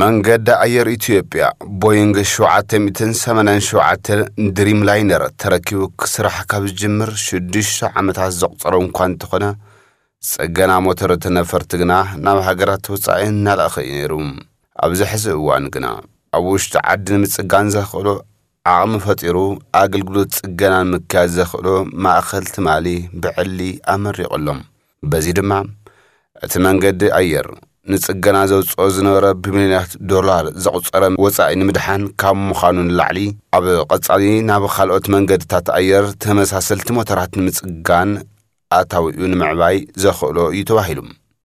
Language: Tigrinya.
መንገዲ ኣየር ኢትዮጵያ ቦይንግ ሸውዓተ ሚእትን ሰማንያን ሸውዓተ ድሪም ላይነር ተረኪቡ ክስራሕ ካብ ዝጅምር ሽዱሽተ ዓመታት ዘቑጸረ እኳ እንተኾነ፣ ጽገና ሞተር እቲ ነፈርቲ ግና ናብ ሃገራት ወጻኢ እናለኣኸ እዩ ነይሩ። ኣብዚ ሕዚ እዋን ግና ኣብ ውሽጢ ዓዲ ንምጽጋን ዘኽእሎ ዓቕሚ ፈጢሩ ኣገልግሎት ጽገናን ምክያድ ዘኽእሎ ማእኸል ትማሊ ብዕሊ ኣመሪቑ ኣሎ። በዚ ድማ እቲ መንገዲ ኣየር ንጽገና ዘውጽኦ ዝነበረ ብሚልዮናት ዶላር ዘቑጸረ ወጻኢ ንምድሓን ካብ ምዃኑ ንላዕሊ፣ ኣብ ቐጻሊ ናብ ካልኦት መንገድታት ኣየር ተመሳሰልቲ ሞተራት ንምጽጋን ኣታዊኡ ንምዕባይ ዘኽእሎ እዩ ተባሂሉ።